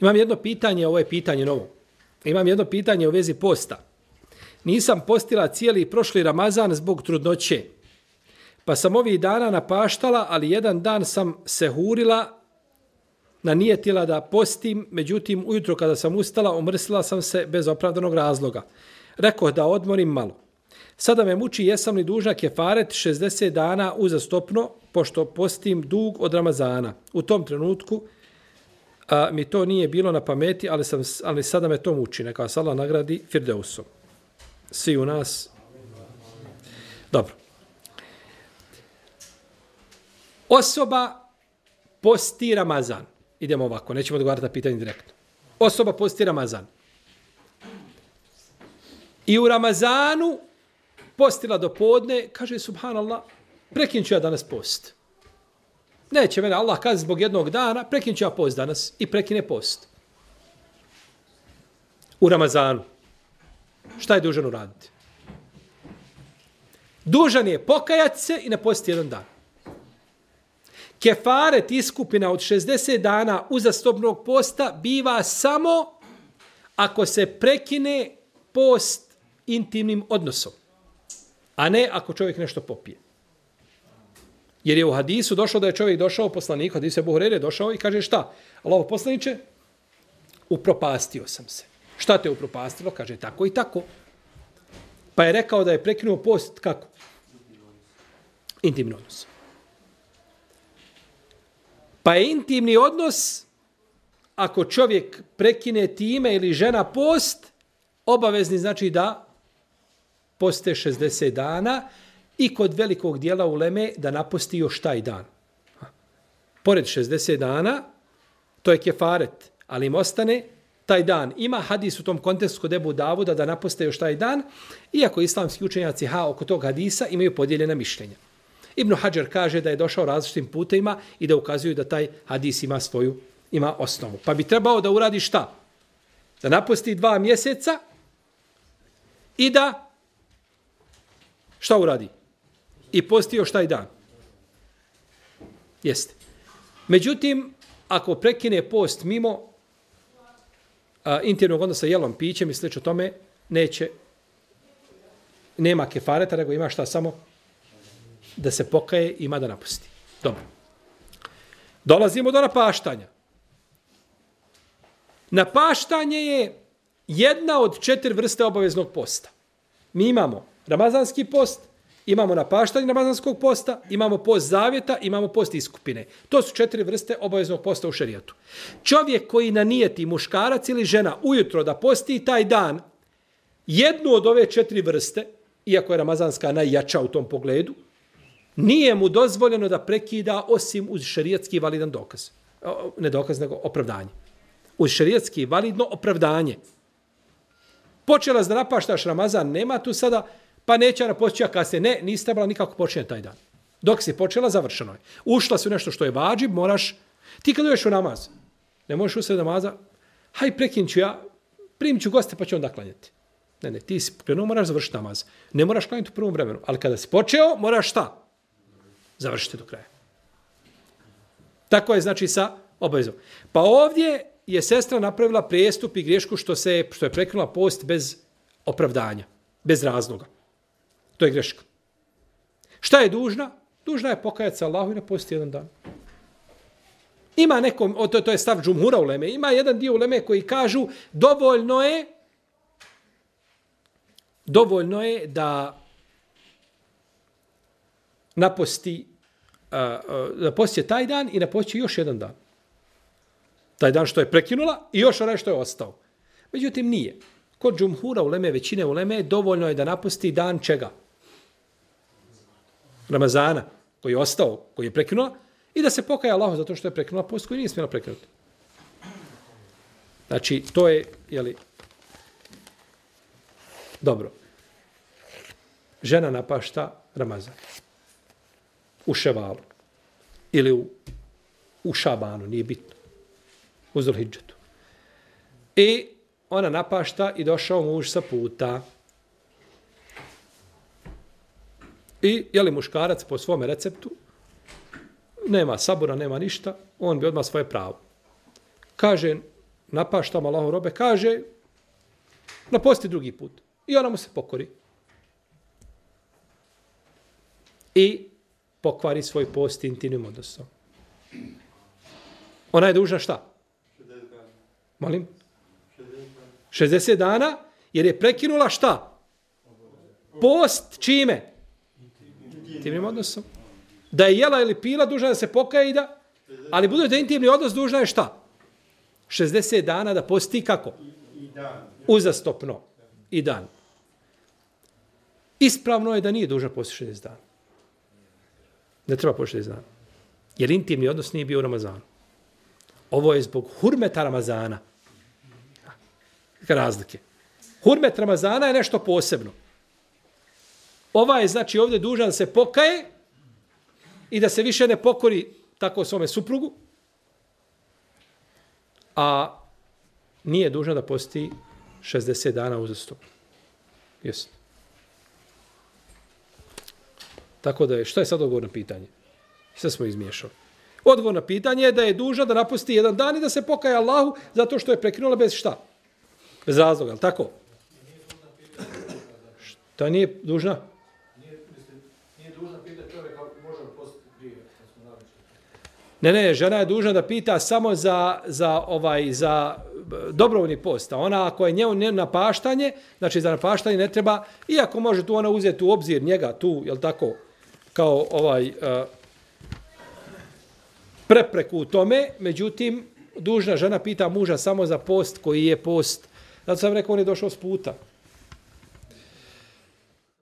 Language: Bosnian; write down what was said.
Imam jedno pitanje, ovo je pitanje novo. Imam jedno pitanje u vezi posta. Nisam postila cijeli prošli Ramazan zbog trudnoće. Pa sam ovih dana napaštala, ali jedan dan sam se hurila, nanijetila da postim, međutim ujutro kada sam ustala, omrsila sam se bez opravdanog razloga. Rekoh da odmorim malo. Sada me muči jesam li dužna kefaret 60 dana uzastopno, pošto postim dug od Ramazana. U tom trenutku mi to nije bilo na pameti, ali sada me to muči. Neka vas Allah nagradi Firdeusom. Svi u nas. Dobro. Osoba posti Ramazan. Idemo ovako, nećemo odgovarati na pitanje direktno. Osoba posti Ramazan. I u Ramazanu postila do podne, kaže subhanallah, prekinut ću ja danas post. Neće mene Allah kazi zbog jednog dana, prekinut ću ja post danas i prekine post. U Ramazanu. Šta je dužan uraditi? Dužan je pokajati se i ne postiti jedan dan. Kefaret iskupina od 60 dana uzastopnog posta biva samo ako se prekine post intimnim odnosom, a ne ako čovjek nešto popije. Jer je u hadisu došlo da je čovjek došao poslanik, hadisu Ebu Hureyre došao i kaže šta? Allaho poslaniče, upropastio sam se. Šta te upropastilo? Kaže tako i tako. Pa je rekao da je prekinuo post kako? Intimni odnos. Pa je intimni odnos, ako čovjek prekine time ili žena post, obavezni znači da poste 60 dana i kod velikog dijela uleme da naposti još taj dan. Pored 60 dana, to je kefaret, ali im ostane taj dan. Ima hadis u tom kontekstu kod Ebu Davuda da naposte još taj dan, iako islamski učenjaci oko tog hadisa imaju podijeljena mišljenja. Ibn Hadžar kaže da je došao različitim putevima i da ukazuju da taj hadis ima osnovu. Pa bi trebao da uradi šta? Da naposti 2 mjeseca i da šta uradi? I posti još taj dan. Jeste. Međutim, ako prekine post mimo intimnog odnosa jelom, pićem i slično tome, nema kefareta, nego ima šta samo da se pokaje, ima da napusti. Dobro. Dolazimo do napaštanja. Napaštanje je jedna od 4 vrste obaveznog posta. Mi imamo ramazanski post, imamo napaštanje ramazanskog posta, imamo post zavjeta, imamo post iskupine. To su 4 vrste obaveznog posta u šerijatu. Čovjek koji nanijeti, muškarac ili žena, ujutro da posti taj dan, jednu od ove 4 vrste, iako je ramazanska najjača u tom pogledu, nije mu dozvoljeno da prekida osim uz šerijatski validan dokaz. Ne dokaz, nego opravdanje. Uz šerijatski validno opravdanje. Počela da napaštaš Ramazan, nema tu sada, pa neće napočija kasnije. Ne, nisi trebala nikako počinjeti taj dan. Dok si počela, završeno je. Ušla si u nešto što je vađib, moraš, ti kad uješ u namaz, ne možeš usred namaza, haj prekinut ću ja, primit ću goste pa ću onda klanjati. Ne, ti si krenuo, moraš završiti namaz. Ne moraš klanjati u prvom vremenu, ali kada si počeo, moraš šta? Završite do kraja. Tako je znači sa obavezom. Pa ovdje je sestra napravila prijestup i griješku što je prekinula post bez opravdanja, bez razloga. To je greška. Šta je dužna? Dužna je pokajati se Allahu i ne posti jedan dan. Ima nekom, to je stav džumhura uleme, ima jedan dio uleme koji kažu dovoljno je da naposti taj dan i naposti još jedan dan. Taj dan što je prekinula i još onaj što je ostao. Međutim, nije. Kod džumhura uleme, većine uleme, dovoljno je da naposti dan čega? Ramazana, koji je ostao, koji je prekinula, i da se pokaje Allahu zato što je prekinula post koji nije smjela prekinuti. Znači, to je, dobro. Žena napašta Ramazan. U Ševalu. Ili u Šabanu, nije bitno. U Zulhidžetu. I ona napašta i došao muž sa puta. I, muškarac po svome receptu, nema sabora, nema ništa, on bi odmah svoje pravo. Kaže, napaštam Allahov robe, kaže, naposti drugi put. I ona mu se pokori. I pokvari svoj post intimnim odnosom. Ona je dužna šta? 60 dana. Molim? 60 dana, jer je prekinula šta? Post čime? Intimnim odnosom. Da je jela ili pila, dužna da se pokaje i da... Ali budući da je intimni odnos, dužna je šta? 60 dana da posti kako? Uzastopno. I dan. Ispravno je da nije dužna posti 60 dana. Ne treba posti 60 dana. Jer intimni odnos nije bio u Ramazanu. Ovo je zbog hurmeta Ramazana. Razlike. Hurmet Ramazana je nešto posebno. Ova je, znači, ovdje dužan da se pokaje i da se više ne pokori tako svome suprugu, a nije dužna da posti 60 dana uzastopno. Jesi. Tako da je, šta je sad odgovor na pitanje? Sve smo izmiješali. Odgovor na pitanje je da je dužna da napusti jedan dan i da se pokaje Allahu zato što je prekinula bez šta? Bez razloga, ali tako? Šta nije dužna? Nije dužna pitati čovjeka može li postiti prije. Ne, žena je dužna da pita samo za dobrovoljni post. A ona ako je njemu napaštanje, znači za napaštanje ne treba, iako može tu ona uzeti u obzir njega tu, jel tako, kao prepreku u tome, međutim, dužna žena pita muža samo za post koji je post. Zato sam rekao, on je došao s puta.